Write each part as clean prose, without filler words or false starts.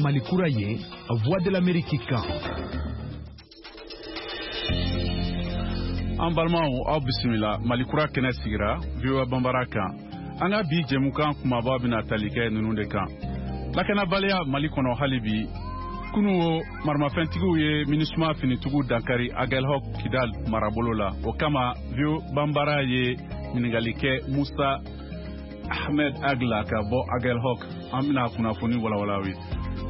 Mali kura ye, Voix de l'Amérique kan. An balimaw, aw bisimila Mali kura kɛnɛ sigira VOA Banbara kan. An ka bi jɛmukan kumaba bɛna tali kɛ ninnu de kan: lakanabaliya Mali kɔnɔ hali bi, kunu o maramafɛntigiw ye MINUSMA finitigiw dankari Aguelhok, Kidal marabolo la. O kama, VOA Banbara ye ɲininkali kɛ Musa Ahmed Agla ka bɔ Aguelhok. An bɛna kunnafoni walawala ye.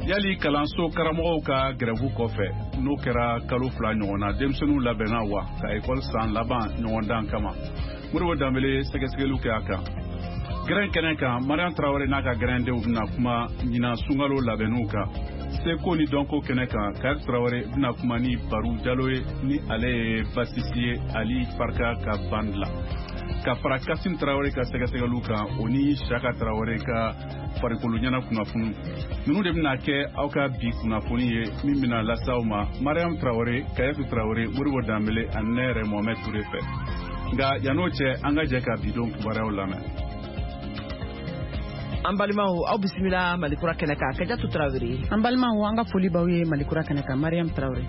Yali kalanso karamɔgɔw ka gɛrɛfu kɔfɛ, n'o kɛra kalo 2 ɲɔgɔn na, denmisɛnninw labɛnna wa ka ekɔli san laban ɲɔgɔndan kama? Modibo Danbele sɛgɛsɛgɛliw kɛ a kan. Gɛrɛn kɛnɛ kan, Mariam Tarawele n'a ka gɛrɛndenw bɛna kuma ɲinan sunkalo labɛnniw kan. Seko ni dɔnko kɛnɛ kan, Kari Tarawele bɛna kuma ni Baru Jalo ye, ni ale ye basisi ye Ali Farka ka bande la, ka fara Kasim Tarawele ka sɛgɛsɛgɛliw kan, o ni Saka Tarawele ka farikolo ɲɛna kunnafoni. Ninnu de bɛna kɛ aw ka bi kunnafoni ye min bɛna lase aw ma Mariam Tarawele, Kayatu Tarawele, Modibo Danbele ani ne yɛrɛ Mohamed Ture fɛ. Nka yann'o cɛ, an ka jɛ ka bi don kibaruyaw lamɛn. An balimaw, aw bisimila Malikura kɛnɛ kan. Kajatu Tarawele. An balimaw, an ka foli b'aw ye Malikura kɛnɛ kan. Mariam Tarawele.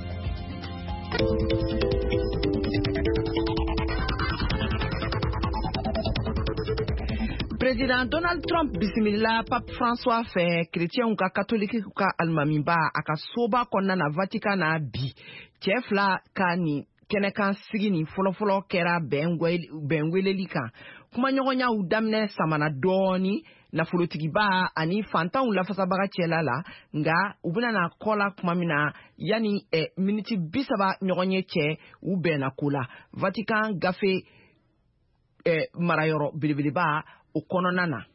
Président Donald Trump bisimila Pape François fɛ, chrétienw ka katoliki ka alimamiba, a ka soba kɔnɔna na Vatican na bi. Cɛ fila ka nin kɛnɛkan sigi nin fɔlɔfɔlɔ kɛra bɛn weleli kan. Kumaɲɔgɔnyaw daminɛ samana dɔɔni nafolotigiba ani fantanw lafasabaga cɛla la, nka u bɛna na kɔ la tuma min na, yanni miniti 30 ɲɔgɔn ye cɛ, u bɛnna ko la Vatican gafe marayɔrɔ belebeleba o kɔnɔna na.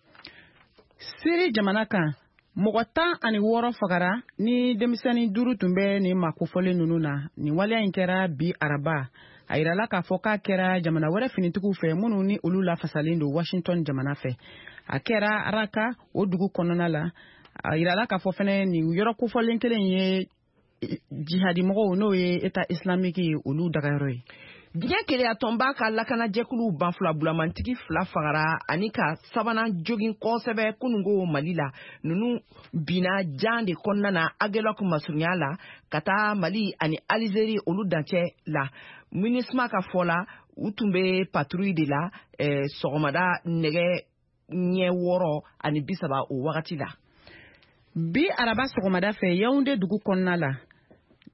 Siri jamana kan, mɔgɔ 16 fagara ni denmisɛnnin 5 tun bɛ nin maa kofɔlen ninnu na. Nin waleya in kɛra bi araba. A yirala k'a fɔ k'a kɛra jamana wɛrɛ finitigiw fɛ, minnu ni olu lafasalen don Washington jamana fɛ. A kɛra Raka, o dugu kɔnɔna la. A yirala k'a fɔ fɛnɛ, nin yɔrɔ kofɔlen kelen ye jihadimɔgɔw, n'o ye État islamique ye, olu dagayɔrɔ ye. Diɲɛ keleyatɔnba ka lakanajɛkuluw banfula bulamantigi fila fagara ani ka sabanan jogin kosɛbɛ kunungo Mali la. Ninnu binna jan de kɔnɔna na Aguelhok masurunya la ka taa Mali ani Alizeri olu dancɛ la. MINUSMA ka fɔ la, u tun bɛ patrouille de la sɔgɔmada nɛgɛ ɲɛ 6:30 o wagati la. Bi araba sɔgɔmada fɛ, Yaoundé dugu kɔnɔna la,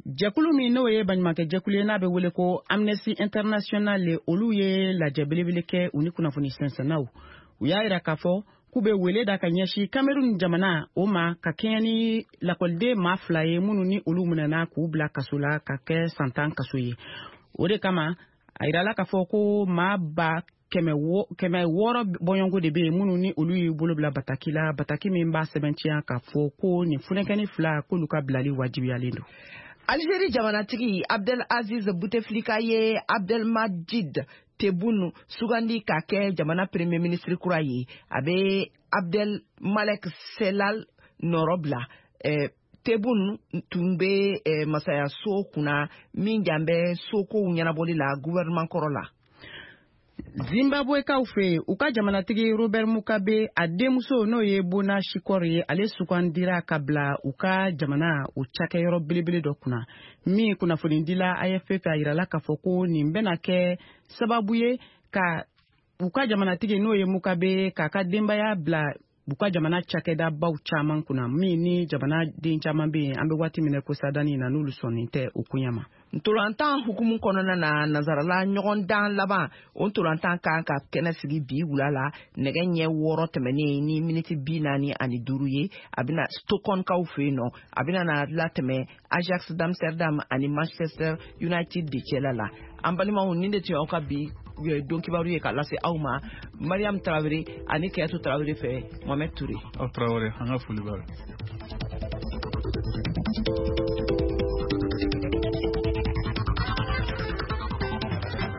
jɛkulu min n'o ye baɲumankɛ jɛkulu ye, n'a bɛ wele ko Amnesty International, olu ye lajɛ belebele kɛ u ni kunnafoni sɛnsɛnnaw. U y'a yira k'a fɔ k'u bɛ wele da ka ɲɛsin Cameroun jamana o ma, ka kɛɲɛ ni lakɔliden maa fila ye minnu ni olu minɛna k'u bila kaso la ka kɛ san 10 kaso ye. O de kama, a yirala k'a fɔ ko maa 600 bɔɲɔgɔnko de bɛ yen minnu ni olu y'u bolo bila bataki la, bataki min b'a sɛbɛntiya k'a fɔ ko nin funɛkɛni fila, k'olu ka bilali wajibiyalen don. Algérie jamanatigi Abdel Aziz Bouteflika ye Abdelmadjid Tebboune sugandi ka kɛ jamana premier ministre kura ye. A bɛ Abdel Malek Sellal nɔrɔ bila. Tebboune tun bɛ masayaso kunna min jan bɛ sokow ɲɛnabɔli la gouvernement kɔrɔ la. Zimbabwekaw fɛ yen, u ka jamanatigi Robert Mugabe a denmuso, n'o ye Bona Chikore ye, ale sugandira ka bila u ka jamana o cakɛyɔrɔ belebele dɔ kunna min kunnafonidila AFP fɛ. A yirala k'a fɔ ko nin bɛna kɛ sababu ye ka u ka jamanatigi, n'o ye Mugabe, k'a ka denbaya bila u ka jamana cakɛdabaw caman kunna, min ni jamanaden caman bɛ yen an bɛ waati min na ko sadani na, n'olu sɔnnen tɛ o koɲɛ ma. Ntolantan hukumu kɔnɔna na, nazarala ɲɔgɔndan laban o ntolantan kan ka kɛnɛ sigi bi wula la nɛgɛ ɲɛ 6 tɛmɛnen ni miniti 45 ye. A bɛna Stockholmkaw fɛ yen nɔ. A bɛna na latɛmɛ Ajax d'Amsterdam ani Manchester United de cɛla la. An balimaw, nin de tun y'aw ka bi don kibaru ye ka lase aw ma Mariam Tarawele ani Kayatu Tarawele fɛ, Mohamed Touré. Aw Tarawele, an ka foli b'a.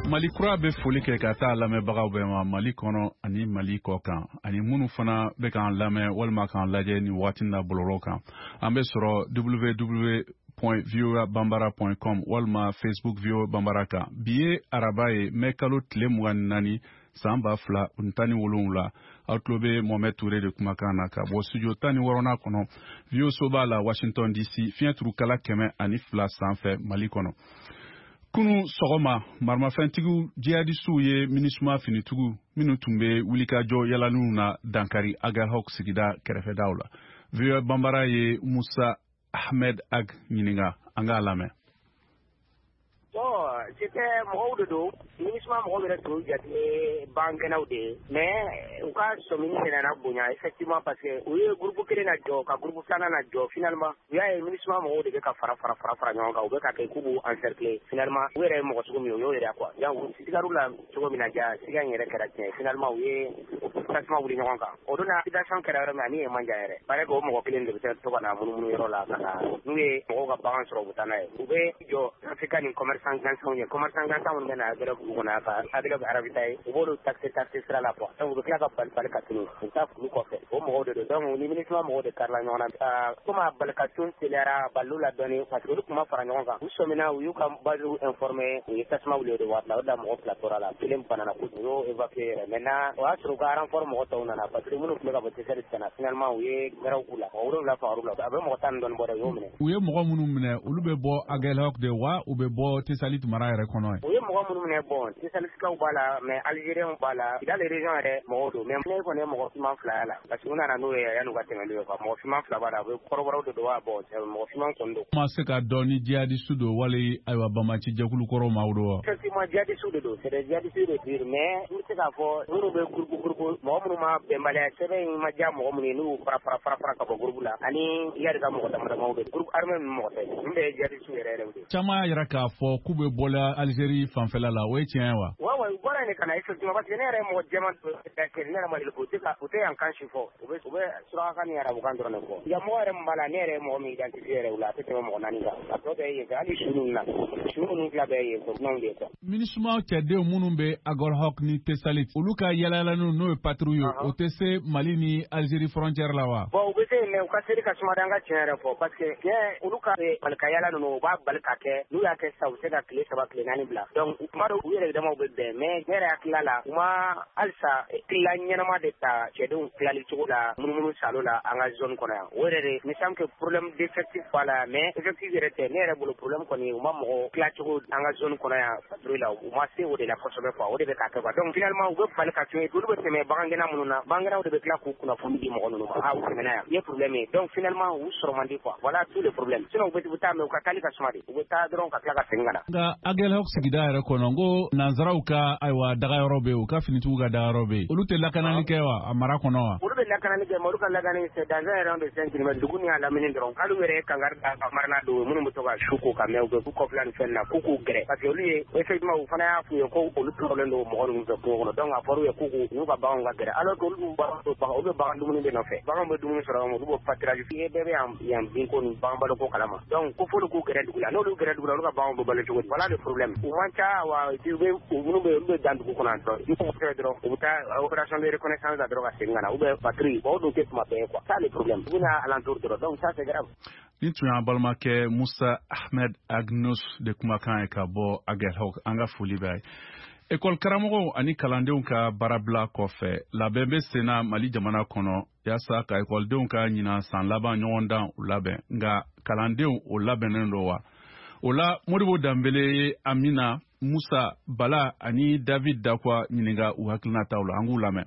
Mali kura bɛ foli kɛ ka taa lamɛnbagaw bɛɛ ma Mali kɔnɔ ani Mali kɔ kan, ani minnu fana bɛ k'an lamɛn walima k'an lajɛ nin waati na bɔlɔlɔ kan. An bɛ sɔrɔ www.voabambara.com walima Facebook VOA Bambara kan. Bi ye araba ye, mɛ kalo tile 24. san 2017. Aw tulo bɛ Mohamed Touré de kumakan na ka bɔ studio 16nan kɔnɔ, VOA soba la, Washington DC, fiɲɛ turukala 102 sanfɛ Mali kɔnɔ. Kunu sɔgɔma, maramafɛntigiw jihadisiw ye MINUSMA finitigiw minnu tun bɛ wulikajɔ yalaniw na dankari Aguelhok sigida kɛrɛfɛdaw la. VOA Banbara ye Musa Ahmed Ag ɲininka, an k'a lamɛn. Bon, c'était mɔgɔw de don, MINUSMA mɔgɔw yɛrɛ tun jate bangɛnnaw de ye, mais u ka sɔmini de nana bonya effectivement, parce que u ye groupe kelen na jɔ ka groupe filanan na jɔ. Finalement, u y'a ye MINUSMA mɔgɔw de bɛ ka fara fara fara fara ɲɔgɔn kan, u bɛ ka kɛ k'u b'u encercler. Finalement, u yɛrɛ ye mɔgɔ sugu min ye, u y'o yɛrɛ quoi. Donc u sigar'u la cogo min na, ja siga in yɛrɛ kɛra tiɲɛ. Finalement, u ye tasuma wuli ɲɔgɔn kan. O don na, situation kɛra yɔrɔ min, ani yen man jan yɛrɛ. Paraît que o mɔgɔ kelen de bɛ se to ka na munumunu yɔrɔ la ka na, n'u ye mɔgɔw ka bagan sɔrɔ, u bɛ taa n'a ye. U bɛ jɔ trafiquant ni commerçant gansanw ye, commerçant gansan minnu bɛ na Aguelhok dugu kɔnɔ ka Aguelhok ravitailler, u b'olu taxer taxer sira la quoi. Donc u bɛ tila ka bali bali ka tunu, u bɛ taa kulu kɔfɛ. O mɔgɔw de don. Donc ni MINUSMA mɔgɔw de karila ɲɔgɔn na, komi a bali ka tun teliyara baliw la dɔɔni, parce que olu tun ma fara ɲɔgɔn kan. U sɔmina, u y'u ka base informer, u ye tasuma wuli o de waati la. O de la mɔgɔ fila tora la, kelen banana kojugu, u y'o évacuer yɛrɛ. Maintenant, o y'a sɔrɔ u ka renfort mɔgɔ tɔw nana, parce que minnu tun bɛ ka bɔ Tessalit ka na, finalement u ye gɛrɛw k'u la, mɔgɔ 7 fagar'u la. A bɛ mɔgɔ 10 ni dɔɔni bɔ dɛ, u y'o minɛ. U ye mɔgɔ minnu minɛ, olu bɛ bɔ Aguelhok de wa, u bɛ bɔ Tessalit mara yɛrɛ kɔnɔ ye? U ye mɔgɔ minnu minɛ, bon, Tessalitikaw b'a la, mais Algériens b'a la, Kidal région yɛrɛ mɔgɔw don. Mais ne kɔni ye mɔgɔ finman fila y'a la, parce que u nana n'o ye yan'u ka tɛmɛ n'u ye quoi. Mɔgɔ finman fila b'a la, a bɛ kɔrɔbɔrɔw de don wa, bon, mɔgɔ finman kɔni don. Ma se ka dɔn ni jihadiste don wali ayiwa banbaanci jɛkulu kɔrɔw maaw don wa? Effectivement, jihadiste de don, c'est des jihadistes de dire, mais n bɛ se k'a fɔ minnu bɛ groupe groupe, mɔgɔ minnu ma bɛnbaliya sɛbɛn in ma diya mɔgɔ minnu ye, n'u fara fara fara fara ka bɔ groupe la, ani Iyad ka mɔgɔ dama damaw de, groupe armé ninnu mɔgɔ tɛ, ninnu bɛɛ ye jihadiste yɛrɛ yɛrɛ de. Caman y'a yira k'a fɔ k'u bɛ bɔla Algérie fanfɛla la, o ye tiɲɛ ye wa? Ouais ouais, u bɔra yen de ka na effectivement, parce que ne yɛrɛ ye mɔgɔ jɛman dɔ kɛ, ne yɛrɛ ma deli k'o tɛ ka u tɛ yan kan si fɔ, u bɛ surakakan ni arabukan dɔrɔn de fɔ. Yan mɔgɔ yɛrɛ min b'a la, ne yɛrɛ ye mɔgɔ min identifié yɛrɛ u la, a tɛ tɛmɛ mɔgɔ naani kan. A tɔ bɛɛ ye yen fɛ, hali su ninnu na, su ninnu fila bɛɛ ye yen fɛ, dunanw de ye quoi. MINUSMA cɛdenw minnu bɛ Aguelhok ni Tessalit, olu ka yalayalaniw, n'o ye patrouille ye, o tɛ se Mali ni Algérie frontière la wa? Bon, u bɛ se yen, mais u ka seli ka suma, an ka tiɲɛ yɛrɛ fɔ, parce que tiɲɛ, olu ka bali ka yala ninnu, u b'a bali ka kɛ. N'u y'a kɛ sisan, u bɛ se ka tile 3, tile 4 bila. Donc tuma dɔw, u yɛrɛ damaw bɛ bɛn, mais ne yɛrɛ hakilila la, u ma halisa tila ɲɛnama de ta cɛdenw tilali cogo la munumunu salo la an ka zone kɔnɔ yan. O yɛrɛ de me semble que problème d'effectif b'a la, mais effectif yɛrɛ tɛ. Ne yɛrɛ bolo, problème kɔni, u ma mɔgɔ tila cogo an ka zone kɔnɔ yan patrouille la, u ma se o de la kosɛbɛ quoi. O de bɛ ka kɛ quoi. Donc finalement, u bɛ bali ka tun olu bɛ tɛmɛ bagangɛnna minnu na, bagangɛnnaw de bɛ tila k'u kunnafoni di mɔgɔ ninnu ma: ah, u tɛmɛna yan, i ye problème ye. Donc finalement, u sɔrɔ man di quoi. Voilà tout le problème. Sinon u bɛ taa, mais u ka taali ka suma de, u bɛ taa dɔrɔn ka tila ka segin ka na. Nka Aguelhok sigida yɛrɛ kɔnɔ, n ko nanzaraw ka ayiwa dagayɔrɔ bɛ yen, u ka finitigiw ka dagayɔrɔ bɛ yen, olu tɛ lakanali kɛ wa a mara kɔnɔ wa? Olu bɛ lakanali kɛ, mais olu ka lakanali, c'est dans un rayon de 5 kilomètres, dugu ni a lamini dɔrɔn. Hali u yɛrɛ ye kangari da ka marana don minnu bɛ to ka su ko ka mɛn, u bɛ kɔfila ni fɛn na, k'u k'u gɛrɛ, parce que olu ye effectivement, u fana y'a f'u ye ko olu tɔɔrɔlen don mɔgɔ ninnu fɛ kungo kɔnɔ. Donc a fɔra u ye k'u k'u n'u ka baganw ka gɛrɛ, alors que olu b'u bagan to bagan, olu bɛ bagan dumuni de nɔfɛ, baganw bɛ dumuni sɔrɔ, olu b'o pâturage. I ye bɛɛ bɛ yan yan binko ni bagan baloko kalama. Donc ko f'olu k'u gɛrɛ dugu la, n'olu gɛrɛ dugu la, olu ka baganw bɛ balo cogo di? Voilà le problème. U man ca wa, u bɛ u minnu bɛ olu bɛ dan dugu kɔnɔ yan dɔrɔn, n'u fɛ dɔrɔn, u bɛ taa opération de reconnaissance la dɔrɔn ka segin ka na, ou bien patrouille. Bon, o dun tɛ tuma bɛɛ ye quoi. Ça le problème, u bɛ na alentour dɔrɔn. Donc ça, c'est grave. Nin tun y'an balimakɛ Musa Ahmed Agnos de kumakan ye ka bɔ Aguelhok. An ka foli b'a ye. Ekɔli karamɔgɔw ani kalandenw ka baarabila kɔfɛ, labɛn bɛ senna Mali jamana kɔnɔ yaasa ka ekɔlidenw ka ɲinan san laban ɲɔgɔndan u labɛn. Nka kalandenw, o labɛnnen don wa? O la, Modibo Danbele ye Amina, Musa, Bala ani David Dakwa ɲininka u hakilinataw la. An k'u lamɛn.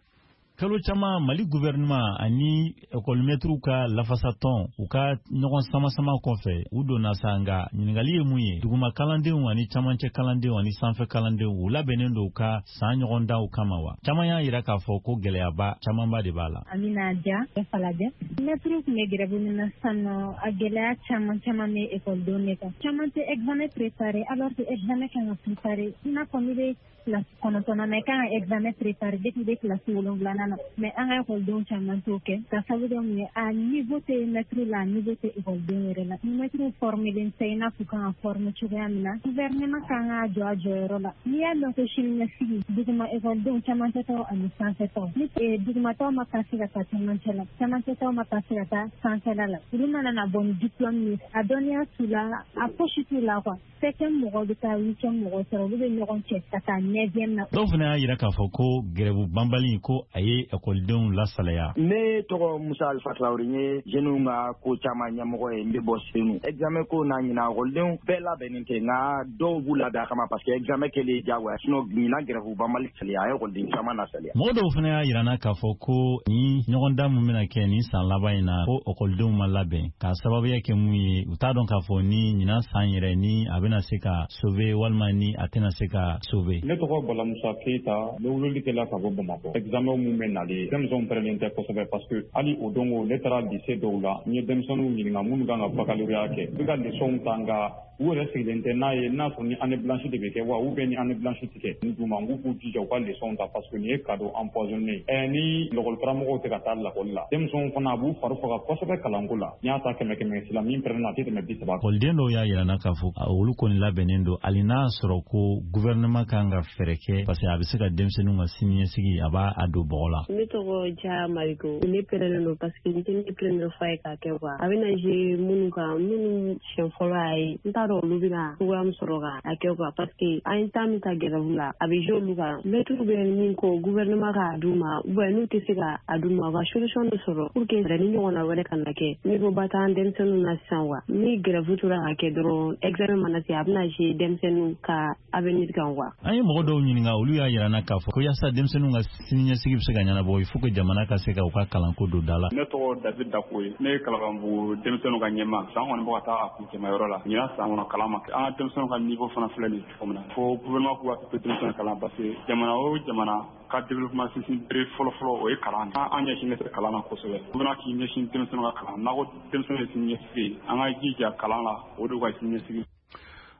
Kalo caman, Mali gouvernement ani ekɔlimɛtiriw ka lafasatɔn, u ka ɲɔgɔn sama-sama kɔfɛ, u donna sa. Nga ɲiningali ye mun ye? Duguma kalandenw ani camancɛ kalandenw ani sanfɛ kalandenw, u labɛnnen don u ka san ɲɔgɔndanw kama wa? Caman y'a yira k'a fɔ ko gɛlɛyaba camanba de b'a la. Amina Dia, Falajɛ. Mɛtiriw tun bɛ grève min na sisan nɔ, a gɛlɛya caman caman bɛ ekɔlidenw de kan. Caman tɛ examen préparé, alors que examen kan ka préparé. I n'a fɔ n'i bɛ kilasi 9nan na, i kan ka examen préparé depuis i bɛ kilasi 7nan. kɔnɔna na, mais an ka ekɔlidenw caman t'o kɛ ka sababu kɛ mun ye, a niveau tɛ mɛtiri la, a niveau tɛ ekɔlidenw yɛrɛ la. Ni mɛtiriw formelen tɛ i n'a fɔ kan ka former cogoya min na, gouvernement kan ka jɔ a jɔyɔrɔ la. N'i y'a mɛn ko siniɲɛsigi, duguma ekɔlidenw camancɛtaw ani sanfɛtaw, ni dugumataw ma passer ka taa camancɛ la, camancɛtaw ma passer ka taa sanfɛla la, olu mana na bɔ ni diplôme ye, a dɔnniya t'u la, a fosi t'u la quoi. Septième mɔgɔw bɛ taa huitième mɔgɔw sɔrɔ, olu bɛ ɲɔgɔn cɛ ka taa neuvième na. Dɔw fana y'a jira k'a fɔ ko grève banbali ko a ye ekɔlidenw lasalaya. Ne tɔgɔ Musa Alifa Tarawele, n ye jeunes ka ko caman ɲɛmɔgɔ ye, n bɛ bɔ Senu. Examen ko n'a ɲina, ekɔlidenw bɛɛ labɛnnen tɛ, nka dɔw b'u labɛn a kama parce que examen kɛlen diyagoya, sinon ɲinan grève banbali saliya, a ye ekɔliden caman lasaliya. Mɔgɔ dɔw fana y'a jira n na k'a fɔ ko ni ɲɔgɔndan min bɛna kɛ nin san laban in na, ko ekɔlidenw ma labɛn k'a sababuya kɛ mun ye, u t'a dɔn k'a fɔ ni ɲinan san yɛrɛ ni a bɛna se ka sauver walima ni a tɛna se ka sauver. Ne tɔgɔ Bala Musa Keyita, n bɛ weleli kɛla ka bɔ Bamakɔ. Examen mun bɛ nalen, denmisɛnw pɛrɛnnen tɛ kosɛbɛ parce que hali o don ne taara lycée dɔw la, n ye denmisɛnninw ɲininka minnu kan ka baccalauréat kɛ, u bɛ ka leçons ta, nka u yɛrɛ sigilen tɛ n'a ye n'a sɔrɔ ni année blanche de bɛ kɛ wa ou bien ni année blanche tɛ kɛ. N d'u ma, n k'u k'u jija u ka leçons ta parce que nin ye cadeau empoisonné ye. Ni lakɔli karamɔgɔw tɛ ka taa lakɔli la, denmisɛnw fana a b'u fari faga kosɛbɛ kalanko la. N'i y'a ta 100 100 la, min pɛrɛnna a tɛ tɛmɛ 30 kan. Ekɔliden dɔw y'a jira n na k'a fɔ olu kɔni labɛnnen don, hali n'a sɔrɔ ko gouvernement kan ka fɛɛrɛ kɛ parce que a bɛ se ka denmisɛnninw ka siniɲɛsigi a b'a a don bɔgɔ la. Ne tɔgɔ Ja Mariko, ne pɛrɛnnen don parce que n tɛ ne première fois ye k'a kɛ quoi. A bɛna jouer minnu kan, minnu siɲɛ fɔlɔ y'a ye, n t'a dɔn olu bɛna cogoya min sɔrɔ ka a kɛ quoi, parce que an ye temps min ta grève la, a bɛ jouer olu kan. Mɛtiriw bɛ min ko gouvernement k'a d'u ma, ou bien n'u tɛ se ka a d'u ma, u ka solution dɔ sɔrɔ pour que ni ɲɔgɔnna wɛrɛ kana kɛ. Niveau ba t'an denmisɛnninw na sisan quoi. Ni grève tora ka kɛ dɔrɔn, examen mana se, a bɛna jouer denmisɛnninw ka avenir kan quoi. An ye mɔgɔ dɔw ɲininka, olu y'a jira n na k'a fɔ ko yaasa denmisɛnninw ka siniɲɛsigi bɛ se ka ɲɛnabɔ, il faut que jamana ka se ka u ka kalanko don da la. Ne tɔgɔ David Dako ye, ne ye Kalabanbugu denmisɛnninw ka ɲɛmaa. San kɔni bɛ ka taa a kuncɛmayɔrɔ la, ɲinan san kɔnɔ kalan ma kɛ. An ka denmisɛnninw ka niveau fana filɛ nin ye cogo min na, fo gouvernement k'u hakili to denmisɛnninw kalan parce que jamana o jamana ka développement sinsin bere fɔlɔ-fɔlɔ o ye kalan. An ɲɛsinnen tɛ kalan na kosɛbɛ. Gouvernement k'i ɲɛsin denmisɛnninw ka kalan, n'a ko denmisɛnninw ye siniɲɛsigi ye, an ka jija kalan la, o de y'u ka siniɲɛsigi.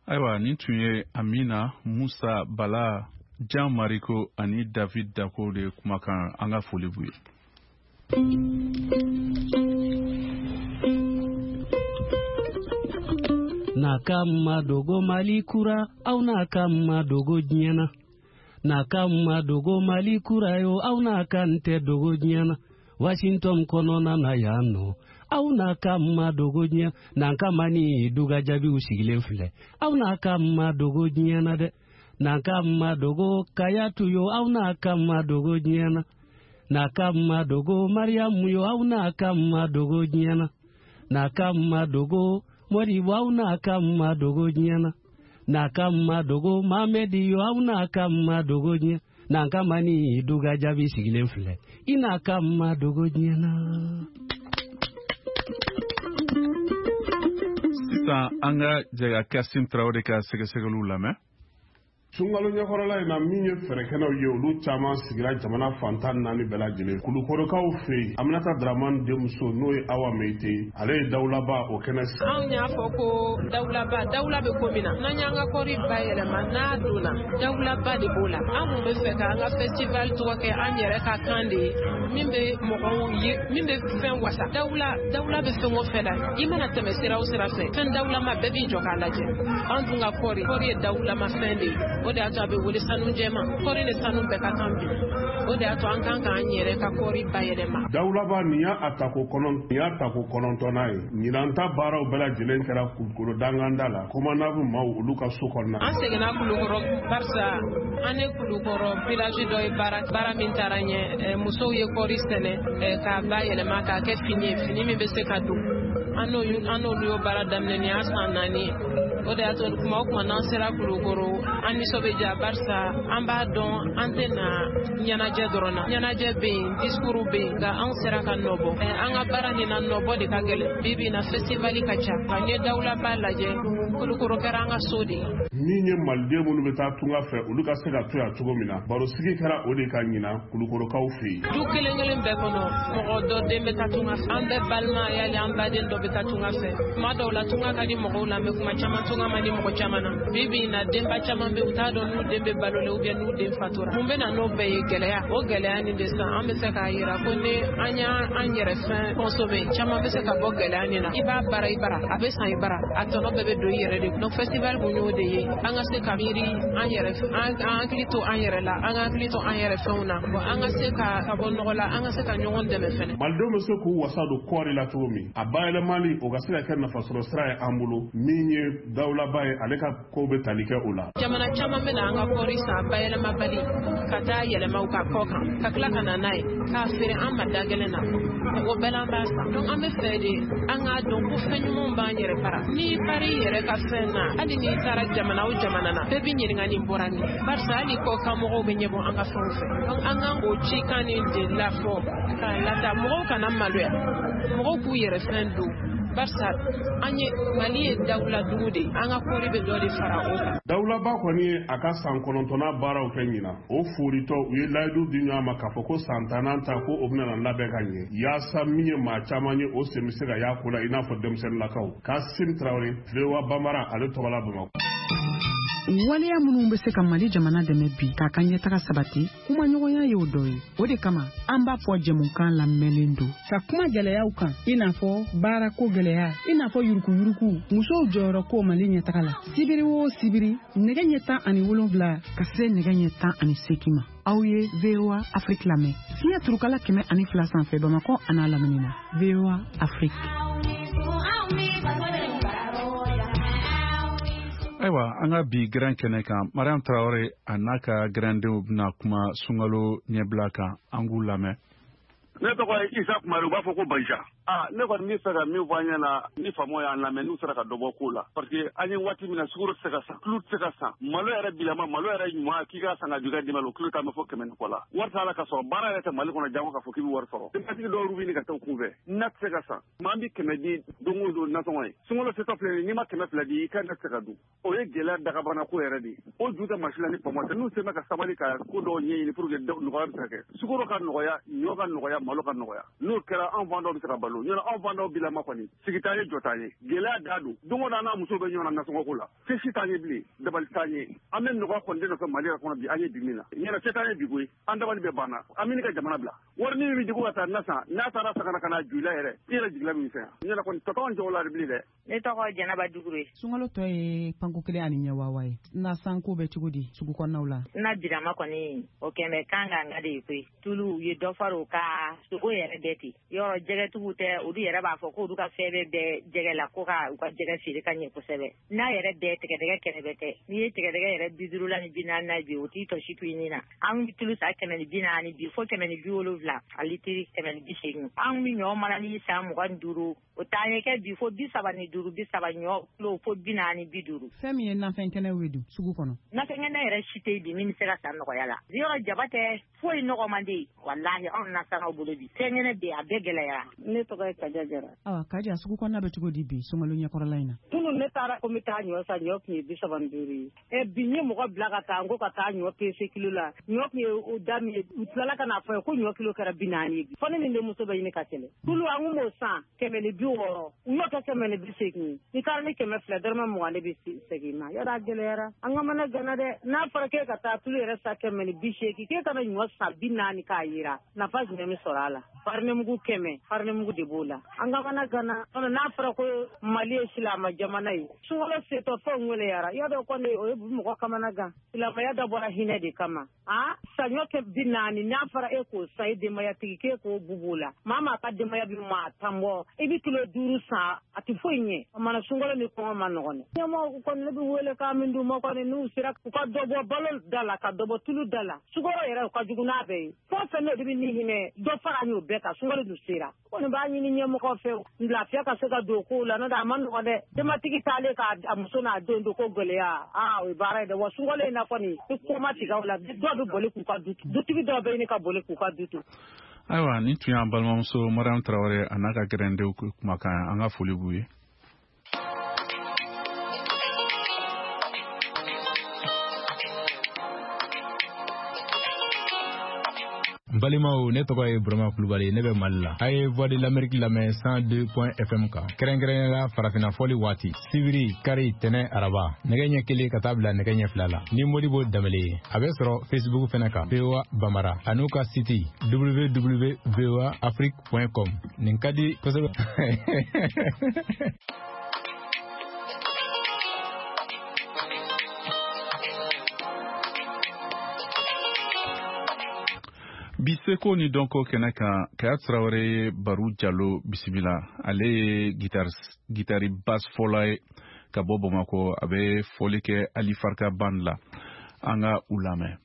Ayiwa, nin tun ye Amina Musa Bala, Jean Mariko ani David Dako de kumakan, an ka foli b'u ye. N'a ka ma dogo Mali kura, aw n'a ka ma dogo diɲɛ na. N'a ka ma dogo Mali kura yo, aw n'a ka n tɛ dogo diɲɛ na. Washington kɔnɔna na yan nɔ, aw n'a ka ma dogo diɲɛ. N'an ka ma ni duga jaabiw sigilen filɛ, aw n'a ka ma dogo diɲɛ na dɛ. N'an ka ma dogo Kayatu yo, aw n'a ka ma dogo diɲɛ na. N'a ka ma dogo Mariyamu yo, aw n'a ka ma dogo diɲɛ na. N'a ka ma dogo Modibo, aw n'a ka ma dogo diɲɛ na. N'a ka ma dogo Mamedi yo, aw n'a ka ma dogo diɲɛ. N'an ka ma ni duga jaabi sigilen filɛ, i n'a ka ma dogo diɲɛ na. Sisan an ka jɛ ka Kasim Tarawele ka sɛgɛsɛgɛliw lamɛn. Sunkalo ɲɛkɔrɔla in na, min ye fɛɛrɛkɛnɛw ye, olu caman sigira jamana fantan 4 bɛɛ lajɛlen. Kulukorokaw fɛ yen, Aminata Dramani denmuso n'o ye Awa Meyite, ale ye dawulaba o kɛnɛ sigi. Anw y'a fɔ ko dawulaba, dawula bɛ ko min na, n'an y'an ka kɔɔri bayɛlɛma n'a donna, dawulaba de b'o la. An kun bɛ fɛ k'an ka festival tɔgɔ kɛ an yɛrɛ ka kan de ye, min bɛ mɔgɔw ye, min bɛ fɛn wasa. Dawula, dawula bɛ fɛn o fɛn la, i mana tɛmɛ sira o sira fɛ, fɛn dawulama bɛɛ b'i jɔ k'a lajɛ. An dun ka kɔɔri, kɔɔri ye dawulama fɛn de ye. O de y'a to a bɛ wele sanu jɛman. Kɔɔri ni sanu bɛɛ ka kan bi. O de y'a to an kan k'an yɛrɛ ka kɔɔri bayɛlɛma. Dawulaba nin y'a a tako kɔnɔn, nin y'a tako 9nan ye. Ɲinan ta baaraw bɛɛ lajɛlen kɛra Kulukoro danganda la, Komanabu maaw olu ka so kɔnɔna. An seginna Kulukoro barisa an ni Kulukoro village dɔ ye baara min taara ɲɛ, musow ye kɔɔri sɛnɛ k'a bayɛlɛma k'a kɛ fini ye, fini min bɛ se ka don. An n'olu y'o baara daminɛ nin y'a san 4 ye. O de y'a to kuma o kuma n'an sera Kulukoro, an nisɔn bɛ diya barisa an b'a dɔn an tɛ na ɲɛnajɛ dɔrɔn na. Ɲɛnajɛ bɛ yen, discours bɛ yen, nka anw sera ka nɔbɔ. An ka baara nin na nɔbɔ de ka gɛlɛn. Bi bi in na festival ka ca. Nka n ye dawulaba lajɛ, Kulukoro kɛra an ka so de ye. Min ye maliden minnu bɛ taa tunga fɛ, olu ka se ka to yan cogo min na, barosigi kɛra o de ka ɲinan Kulukorokaw fɛ yen. Du kelen kelen bɛɛ kɔnɔ, mɔgɔ dɔ den bɛ taa tunga fɛ. An bɛɛ balima yali an baden dɔ bɛ taa tunga fɛ. Kuma dɔw la tunga ka di mɔgɔw la, mais kuma caman tunga man di mɔgɔ caman na. Bi bi in na denba caman bɛ bɛ u t'a dɔn n'u den bɛ balo la ou bien n'u den fatura. Mun bɛ na n'o bɛɛ ye gɛlɛya. O gɛlɛya nin de san an bɛ se k'a yira ko ni an y'an yɛrɛ fɛn consommer caman bɛ se ka bɔ gɛlɛya nin na. I b'a baara i bara, a bɛ san i bara, a tɔnɔ bɛɛ bɛ don i yɛrɛ de. Donc festival kun y'o de ye. An ka se ka miiri an yɛrɛ, an hakili to an yɛrɛ la, an ka hakili to an yɛrɛ fɛnw na. Bon an ka se ka bɔ nɔgɔ la, an ka se ka ɲɔgɔn dɛmɛ fɛnɛ. Malidenw bɛ se k'u wasa don kɔɔri la cogo min, a bayɛlɛmali o ka se ka kɛ nafasɔrɔ sira ye an bolo. Min ye dawulaba ye, ale ka kow bɛ tali kɛ o la. Jamana caman bɛ na an ka kɔɔri san bayɛlɛmabali ka taa yɛlɛma u ka kɔ kan, ka tila ka na n'a ye k'a feere an ma da gɛlɛn na. O bɛɛ la an b'a san. Donc an bɛ fɛ de an k'a dɔn ko fɛn ɲumanw b'an yɛrɛ bara. N'i par'i yɛrɛ ka fɛn na, hali n'i taara jamana o jamana na, bɛɛ b'i ɲininka nin bɔra min. Barisa hali kɔkan mɔgɔw bɛ ɲɛbɔ an ka fɛnw fɛ. Donc an kan k'o cikan nin de lafɔ k'a lata mɔgɔw kana maloya, mɔgɔw k'u yɛrɛ fɛn don. Barisa an ye Mali ye dawula dugu de ye, an ka kɔɔri bɛ dɔ de fara o kan. Dawulaba kɔni ye a ka san 9nan baaraw kɛ ɲinan. O foritɔ u ye layidu di ɲɔgɔn ma k'a fɔ ko san 10nan ta ko o bɛna labɛn ka ɲɛ yaasa min ye maa caman ye o sen bɛ se ka y'a ko la i n'a fɔ denmisɛnninlakaw. Kasim Tarawele, VOA Bambara, ale tɔgɔ la Bamakɔ. Waleya minnu bɛ se ka Mali jamana dɛmɛ bi k'a ka ɲɛtaga sabati, kumaɲɔgɔnya y'o dɔ ye. O de kama an b'a fɔ jɛmukan lamɛnlen don ka kuma gɛlɛyaw kan, i n'a fɔ baarako gɛlɛya, i n'a fɔ yurukuyuruku, musow jɔyɔrɔ ko Mali ɲɛtaga la. Sibiri o sibiri, nɛgɛ ɲɛ 17 ka se nɛgɛ ɲɛ 18 ma. Aw ye VOA Afrique lamɛn. Fiɲɛ turukala 102 sanfɛ Bamakɔ an'a lamini na. VOA Afrique. Ayiwa, an ka bi gɛrɛn kɛnɛ kan, Mariam Traore a n'a ka gɛrɛndenw bɛna kuma sunkalo ɲɛbila kan, an k'u lamɛn. Ne tɔgɔ ye Isa Kumari, u b'a fɔ ko Baja. Ne kɔni bɛ fɛ ka min fɔ an ɲɛna, ni faamaw y'an lamɛn, n'u sera ka dɔ bɔ ko la. Parce que an ye waati min na, sukaro tɛ se ka san, tulu tɛ se ka san, malo yɛrɛ bilama, malo yɛrɛ ɲuman k'i k'a san ka jɔ i ka denbaya la, o kilo t'an bɛ fɔ 100 ni kɔ la. Wari t'a la ka sɔrɔ, baara yɛrɛ tɛ Mali kɔnɔ jango k'a fɔ k'i bɛ wari sɔrɔ. Denbatigi dɔw bɛ ɲini ka taa u kunfɛ, na tɛ se ka san. Maa bɛ 100 di don o don nasɔngɔ ye. Sunkalo setɔ filɛ nin ye, n'i ma 200 di, i ka na tɛ se ka dun. O ye gɛlɛya dagabana ko yɛrɛ de ye. O ju tɛ masi la ni faamaw tɛ. N'u sera ka sabali ka ko dɔw ɲɛɲini pour que nɔgɔya bɛ se ka kɛ. Sukaro ka nɔgɔya, ɲɔ ka nɔgɔya, malo ka nɔgɔya. N'o kɛra, anw fan dɔw bɛ se ka balo. Ɲɔnɔ anw fan dɔw bilama kɔni, sigi t'an ye, jɔ t'an ye. Gɛlɛya da don. Don o don an n'a musow bɛ ɲɔgɔn na nasɔngɔ ko la. Se si t'an ye bilen, dabali t'an ye. An bɛ nɔgɔya kɔni de nɔfɛ Mali yɛrɛ kɔnɔ bi, an ye bi min na. Ɲɛna se t'an ye bi koyi. An dabali bɛɛ banna. An bɛ ka jamana bila. Wari min bɛ di ko ka taa na san, n'a taara san ka na ju i la yɛrɛ, i yɛrɛ jigila bɛ misɛnya. Ɲɛna kɔni tɔ t'anw jɔ o la bilen dɛ. Ne tɔgɔ Jɛnɛba Dugure. Sunkalo tɔ ye panko kelen ani ɲɛwawa ye. Na sanko bɛ cogo di sugu kɔnɔnaw la? Na birama kɔni, o kɛmɛ kan ka nka de ye koyi. Tulu u ye dɔ fara o ka sogo yɛrɛ bɛɛ ten. Yɔrɔ jɛgɛtigiw tɛ, olu yɛrɛ b'a fɔ k'olu ka fɛn bɛɛ bɛ jɛgɛ la ko ka u ka jɛgɛ feere ka ɲɛ kosɛbɛ. N'a yɛrɛ bɛɛ tigɛdɛgɛ kɛrɛfɛ tɛ. N'i ye tigɛdɛgɛ yɛrɛ 50 la ni 40 na bi, o t'i tɔ si to i nin na. An bɛ tulu san 140 bi fo 170 a litiri 180. An bɛ ɲɔ mana ni san 25, o t'an ye kɛ bi fo 35, 30 ɲɔ kilo fo 40, 50. Fɛn min ye nafɛn kɛnɛw ye dun sugu kɔnɔ? Nafɛn kɛnɛ yɛrɛ si tɛ yen bi min bɛ se ka san nɔgɔya la. Yɔrɔ jaba tɛ foyi nɔgɔ man di. Walahi anw nasanaw bolo bi. Fɛn kɛnɛ bɛ yen, a bɛɛ gɛlɛyara. Ne tɔgɔ ye Kaja Jara. Awa Kaja, sugu kɔnɔna bɛ cogo di bi sunkalo ɲɛkɔrɔla in na? Kunun ne taara ko n bɛ taa ɲɔ san, ɲɔ tun ye 35 ye. Bi n ye mɔgɔ bila ka taa, n ko ka taa ɲɔ pese kilo la. Ɲɔ tun ye o da min ye, u tilala ka n'a fɔ n ye ko ɲɔ kilo kɛra 40 ye bi. Fo ne ni n denmuso bɛ ɲini ka kɛlɛ. Tulu an kun b'o san 160, u y'o kɛ 180 ye. N'i taara ni 200, dɔrɔmɛ 20 de bɛ segin i ma. Yɔrɔ a gɛlɛyara. An ka mana gana dɛ. N'a fɔra k'e ka taa tulu yɛrɛ san 180, k'e kana ɲɔ san 40 k'a yira, nafa jumɛn bɛ sɔrɔ a la? Farinemugu 100, farinemugu de b'o la. An ka mana gana. N'a fɔra ko Mali ye silamɛ jamana ye, sunkalo setɔ fɛnw gɛlɛyara. Yɔrɔ kɔni o ye mɔgɔ kamana gan. Silamɛya dabɔra hinɛ de kama. Saɲɔ kɛ 40, n'a fɔra e k'o san i denbayatigi k'e k'o bubu la. Maa ka denbaya bɛ maa 10 bɔ, i bɛ kilo 5 san, a tɛ foyi ɲɛ. O mana sunkalo ni kɔngɔ ma nɔgɔn dɛ. Ɲɛmɔgɔw kɔni ne bɛ wele k'a min d'u ma kɔni, n'u sera u ka dɔ bɔ balo da la, ka dɔ bɔ tulu da la. Sukaro yɛrɛ o ka jugu n'a bɛɛ ye. Fɛn o fɛn n'o de bɛ ni hinɛ, dɔ fara an y'o bɛɛ kan, sunkalo dun sera. Kɔni b'a ɲini ɲɛmɔgɔw fɛ, lafiya ka se ka don kow la, n'o tɛ a ma nɔgɔn dɛ. Denbatigi taalen k'a muso n'a den don ko gɛlɛya, o ye baara ye dɛ. Wa sunkalo in na kɔni, i ko ma tigɛ o la, dɔw bɛ boli k'u ka du to, dutigi dɔw bɛ ɲini ka boli k'u ka du to. Ayiwa, nin tun y'an balimamuso Mariam Traore a n'a ka gɛrɛndenw kumakan, an ka foli b'u ye. N balimaw, ne tɔgɔ ye Burama Kulubali, ne bɛ Mali la. A ye Voix de l'Amérique lamɛn 102 FM kan, kɛrɛnkɛrɛnnenya la farafinna fɔli waati, sibiri, kari, tɛnɛ, araba, nɛgɛ ɲɛ 1 ka taa bila nɛgɛ ɲɛ 2 la ni Modibo Danbele ye. A bɛ sɔrɔ Facebook fɛnɛ kan, VOA Bambara, an'u ka site www.voaafrique.com. Nin ka di kosɛbɛ. Bi seko ni dɔnko kɛnɛ kan, Kaya Tarawele ye Baru Jalo bisimila. Ale ye gitari basse fɔla ye ka bɔ Bamakɔ. A bɛ fɔli kɛ Ali Farka band la. An ka u lamɛn.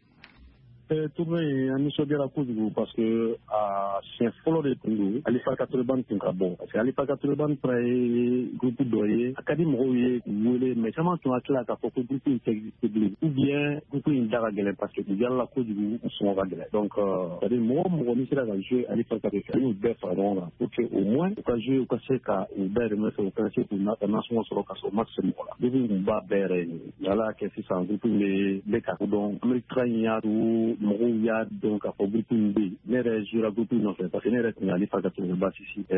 Tournée in, an nisɔndiyara kojugu parce que a siɲɛ fɔlɔ de tun don Ali Farka Touré Band tun ka bɔ, parce que Ali Farka Touré Band fana ye groupe dɔ ye, a ka di mɔgɔw ye k'u wele, mais caman tun hakili la k'a fɔ ko groupe in tɛ exister bilen, ou bien groupe in da ka gɛlɛn parce que u yalala kojugu, u sɔngɔ ka gɛlɛn. Donc c'est à dire mɔgɔ o mɔgɔ n'i sera ka jouer Ali Farka de fɛ, an y'u bɛɛ fara ɲɔgɔn kan pour que au moins u ka jouer, u ka se ka u dahirimɛ sɔrɔ, u ka se k'u nasɔngɔ sɔrɔ ka sɔrɔ u ma se mɔgɔ la. Groupe in kun b'a bɛɛ yɛrɛ ye, Ala y'a kɛ sisan groupe in bɛ ka kodɔn. Amérique taga in y'a to mɔgɔw y'a dɔn k'a fɔ groupe in bɛ yen. Ne yɛrɛ jouera groupe in nɔfɛ parce que ne yɛrɛ tun ye Ali Farka Touré bassiste.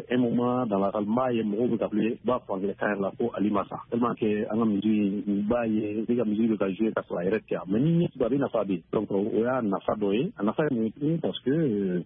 Un moment dans la salle, n b'a ye mɔgɔw bɛ ka kule, u b'a fɔ anglais kan yɛrɛ la ko Ali ma sa, tellement que an ka musique in, u b'a ye ne ka musique bɛ ka jouer ka sɔrɔ a yɛrɛ tɛ yan, mais ni ɲɛ tugun a bɛ nafa bɛ yen. Donc o y'a nafa dɔ ye. A nafa ye mun ye tuguni? Parce que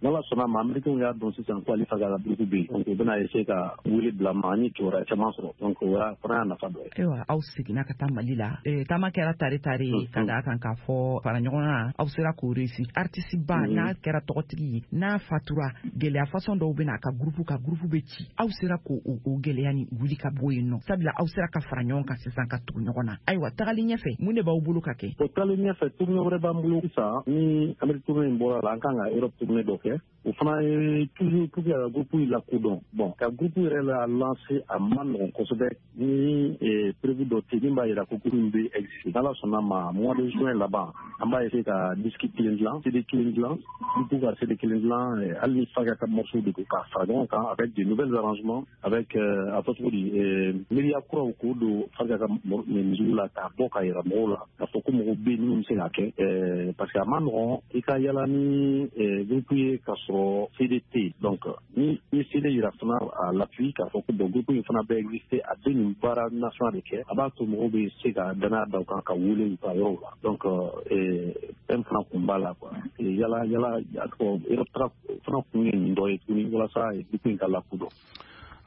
n'Ala sɔnna a ma, Américains y'a dɔn sisan ko Ali Farka ka groupe bɛ yen, donc u bɛna essayer ka wele bila ma, an ye kibaruya caman sɔrɔ, donc o y'a fana y'a nafa dɔ ye. Ayiwa, aw seginna ka taa Mali la, taama kɛra tare tare, ka d'a kan k'a fɔ fara ɲɔgɔn kan, aw sera k'o réussir. Artiste ba n'a kɛra tɔgɔtigi ye, n'a fatura, gɛlɛya façon dɔw bɛ na a ka groupe ka groupe bɛ ci. Aw sera k'o o gɛlɛya ni wuli ka bɔ yen nɔ, sabula aw sera ka fara ɲɔgɔn kan sisan ka tugu ɲɔgɔn na. Ayiwa, tagali ɲɛfɛ, mun de b'aw bolo ka kɛ? O tagali ɲɛfɛ, tournée wɛrɛ b'an bolo sisan. Ni Amérique tournée in bɔra la, an kan ka Europe tournée dɔ kɛ. O fana ye toujours pour que ka groupe in lakodɔn. Bon, ka groupe yɛrɛ la lancer, a ma nɔgɔn kosɛbɛ ni preuve dɔ tɛ min b'a jira ko groupe in bɛ exister. N'Ala sɔnna ma, mois de juin laban, an b'a essayer ka disque kelen dilan, CD kelen dilan, groupe ka CD kelen dilan, hali ni Farka ka morceau de don, k'a fara ɲɔgɔn kan avec de nouvelles arrangements, avec a fɔ cogo di, miiriya kuraw k'o don Farka ka musique la, k'a bɔ k'a yira mɔgɔw la k'a fɔ ko mɔgɔw bɛ yen minnu bɛ se k'a kɛ, parce que a ma nɔgɔn i ka yala ni groupe ye ka sɔrɔ CD tɛ yen. Donc ni i CD yira fana à l'appui k'a fɔ ko bon, groupe in fana bɛ exister, a bɛ nin baara national de kɛ, a b'a to mɔgɔw bɛ se ka danaya da u kan ka wele u ka yɔrɔw la. Donc fɛn fana kun b'a la quoi. Yala yala, a tɔgɔ, Europe taga fana kun ye nin dɔ ye tuguni, walasa groupe in ka lakodɔn.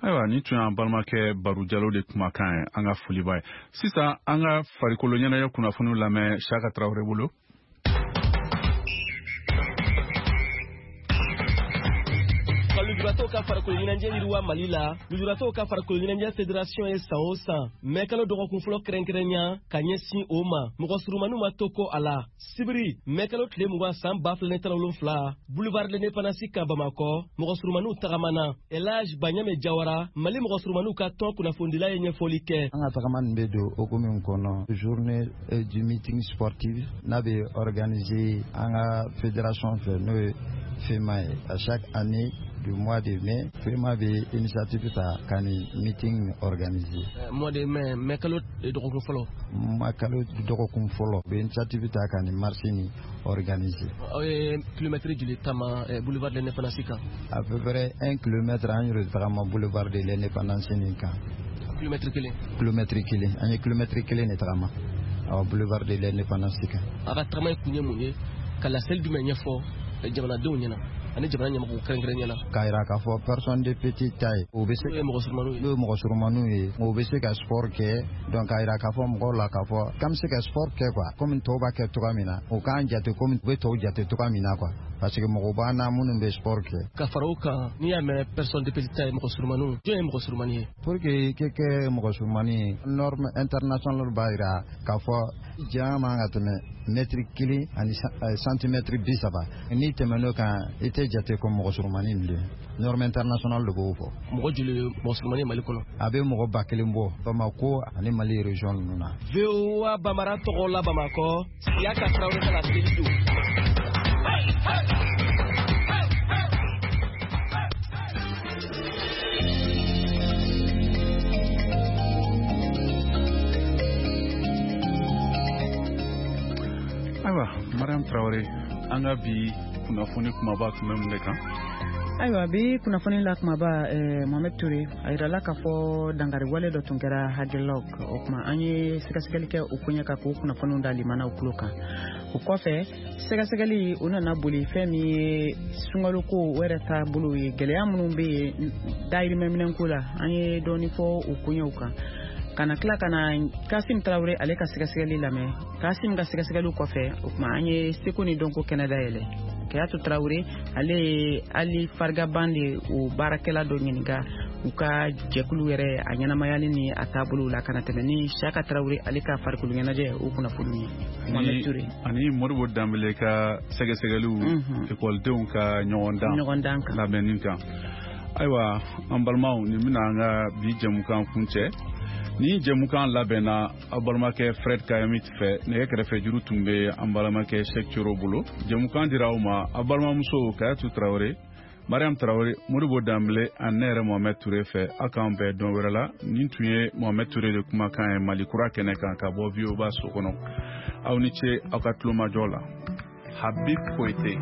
Ayiwa, nin tun y'an balimakɛ Baru Jalo de kumakan ye. An ka foli b'a ye. Sisan an ka farikolo ɲɛnajɛ kunnafoniw lamɛn Saka Tarawele bolo. Lujuratɔw ka farikolo ɲɛnajɛ yiriwa Mali la, lujuratɔw ka farikolo ɲɛnajɛ fédération ye san o san mɛ kalo dɔgɔkun fɔlɔ kɛrɛnkɛrɛnya ka ɲɛsin o ma. Mɔgɔ surumaniw ma to ko a la. Sibiri mɛ kalo tile 20 san 2017, boulevard de l'Indépendance kan Bamakɔ, mɔgɔ surumaniw tagamana. Elage Baɲame Jawara, Mali mɔgɔ surumaniw ka tɔn kunnafonidila, ye ɲɛfɔli kɛ. An ka tagama nin bɛ don hokumu min kɔnɔ, journée du meeting sportif n'a bɛ organiser an ka fédération fɛ, n'o ye FEMA ye. À chaque année du mois de mai, FEMA bɛ initiative ta ka nin meeting organiser. Mois de mai, mai kalo dɔgɔkun fɔlɔ. Ma kalo dɔgɔkun fɔlɔ, u bɛ initiative ta ka nin marche nin organiser. Aw ye kilomɛtiri joli taama boulevard de l'Indépendance kan? À peu près 1 kilomètre an y'o de tagama boulevard de l'Indépendance nin kan. Kilomɛtiri kelen. Kilomɛtiri kelen, an ye kilomɛtiri kelen de tagama awɔ boulevard de l'Indépendance kan. A ka tagama in kun ye mun ye? Ka laseli jumɛn ɲɛfɔ jamanadenw ɲɛna ani jamana ɲɛmɔgɔw kɛrɛnkɛrɛn ɲɛna? K'a yira k'a fɔ personne de petite taille, o bɛ se N'o ye mɔgɔ surumaniw ye. N'o ye mɔgɔ surumaniw ye, o bɛ se ka sport kɛ. Donc k'a yira k'a fɔ mɔgɔw la k'a fɔ k'an bɛ se ka sport kɛ quoi, komi tɔw b'a kɛ cogoya min na, o k'an jate komi u bɛ tɔw jate cogoya min na quoi, parce que mɔgɔw b'an na minnu bɛ sport kɛ. Ka fara o kan, n'i y'a mɛn personne de petite taille, mɔgɔ surumaniw, jɔn ye mɔgɔ surumani ye? Pour que i ka kɛ mɔgɔ surumani ye, norme internationale b'a yira k'a fɔ janya man ka tɛmɛ mɛtiri 1 ani santimɛtiri 30. N'i tɛmɛn'o kan, i tɛ jate ko mɔgɔ surumani bilen. Norme internationale de b'o fɔ. Mɔgɔ joli ye mɔgɔ surumani ye Mali kɔnɔ? A bɛ mɔgɔ 1000 bɔ Bamako ani Mali région ninnu na. VOA Bambara tɔgɔ la Bamakɔ, Siyaka Tarawele ka laseli don. Ayiwa, Mariam Tarawele, an ka bi Kunnafoni kumaba tun bɛ mun de kan? Ayiwa, bi kunnafoni la kumaba, Mohamed Toure, a yirala k'a fɔ dankariwale dɔ tun kɛra Aguelhok. O tuma, an ye sɛgɛsɛgɛli kɛ o koɲɛ kan k'o kunnafoniw da limanaw tulo kan. O kɔfɛ, sɛgɛsɛgɛli o nana boli fɛn min ye sunkaloko o yɛrɛ taabolo ye, gɛlɛya minnu bɛ yen dayirimɛminɛnko la, an ye dɔɔni fɔ o koɲɛw kan. Ka na tila ka na Kasim Tarawele ale ka sɛgɛsɛgɛli lamɛn. Kasim ka sɛgɛsɛgɛliw kɔfɛ, o tuma, an ye seko ni dɔnko kɛnɛ dayɛlɛ. Kayatu Tarawele ale ye Ali Farigaban de o baarakɛla dɔ ɲininka u ka jɛkulu yɛrɛ a ɲɛnamayali ni a taabolow la, ka na tɛmɛ ni Saka Tarawele ale ka farikolo ɲɛnajɛ o kunnafoniw ye. Mohamed Toure. Ani Modibo Danbele ka sɛgɛsɛgɛliw ekɔlidenw ka ɲɔgɔndan kan labɛnni kan. Ayiwa, an balimaw, nin bɛna an ka bi jɛmukan kuncɛ. Ni jɛmukan labɛnna aw balimakɛ Fred Kayamit fɛ, nɛgɛ kɛrɛfɛ juru tun bɛ an balimakɛ Sheikh Coro bolo. Jɛmukan dira aw ma aw balimamuso Kayatu Tarawele, Mariam Tarawele, Modibo Danbele ani ne yɛrɛ Mohamed Toure fɛ. Aw k'an bɛn don wɛrɛ la. Nin tun ye Mohamed Toure de kumakan ye Mali kura kɛnɛ kan ka bɔ VOA so kɔnɔ. Aw ni ce aw ka tulomajɔ la. Habib Koite.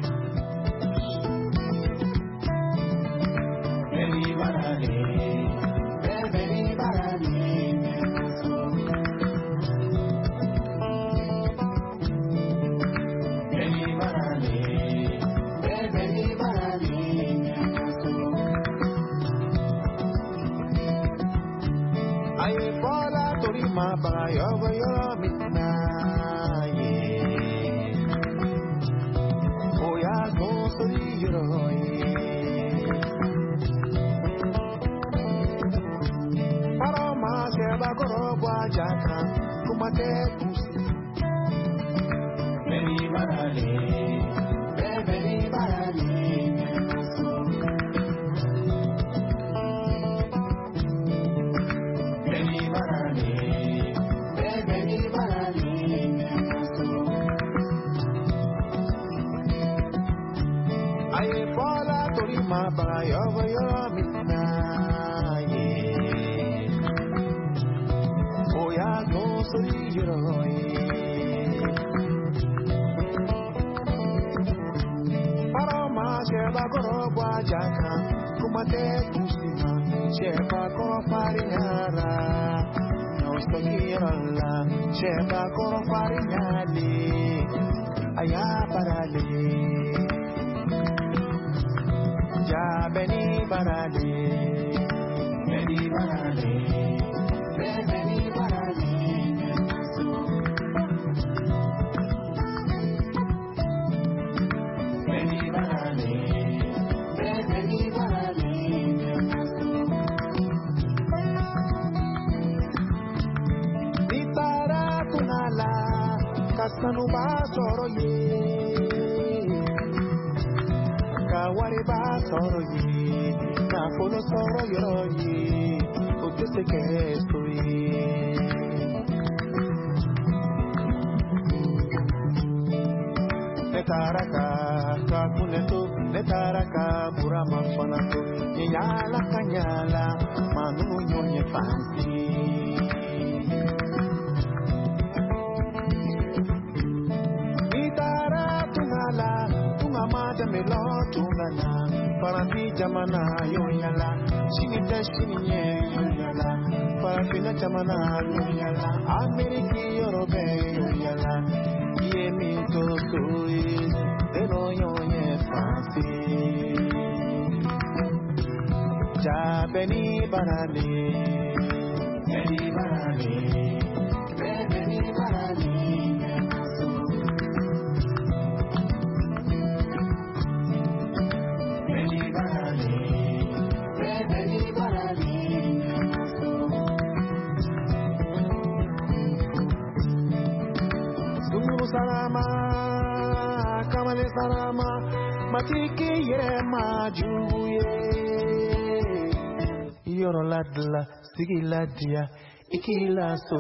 Sigi ladiya, i k'i la so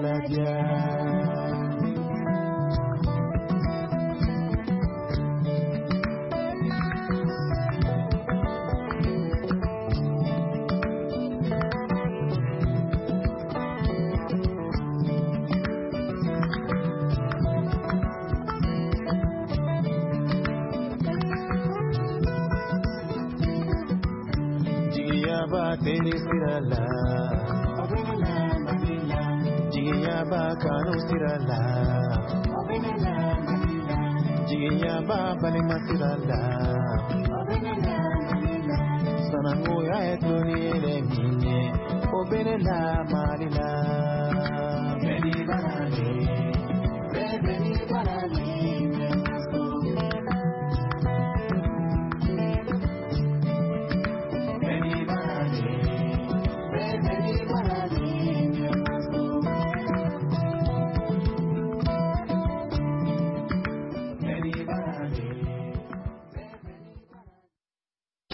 ladiya. Jigiyaba teri sira la, jigiyaba kanu sira la, jigiyaba balima sira la. Sananguya ye tulon ni yɛlɛ min ye, o bɛ ne la.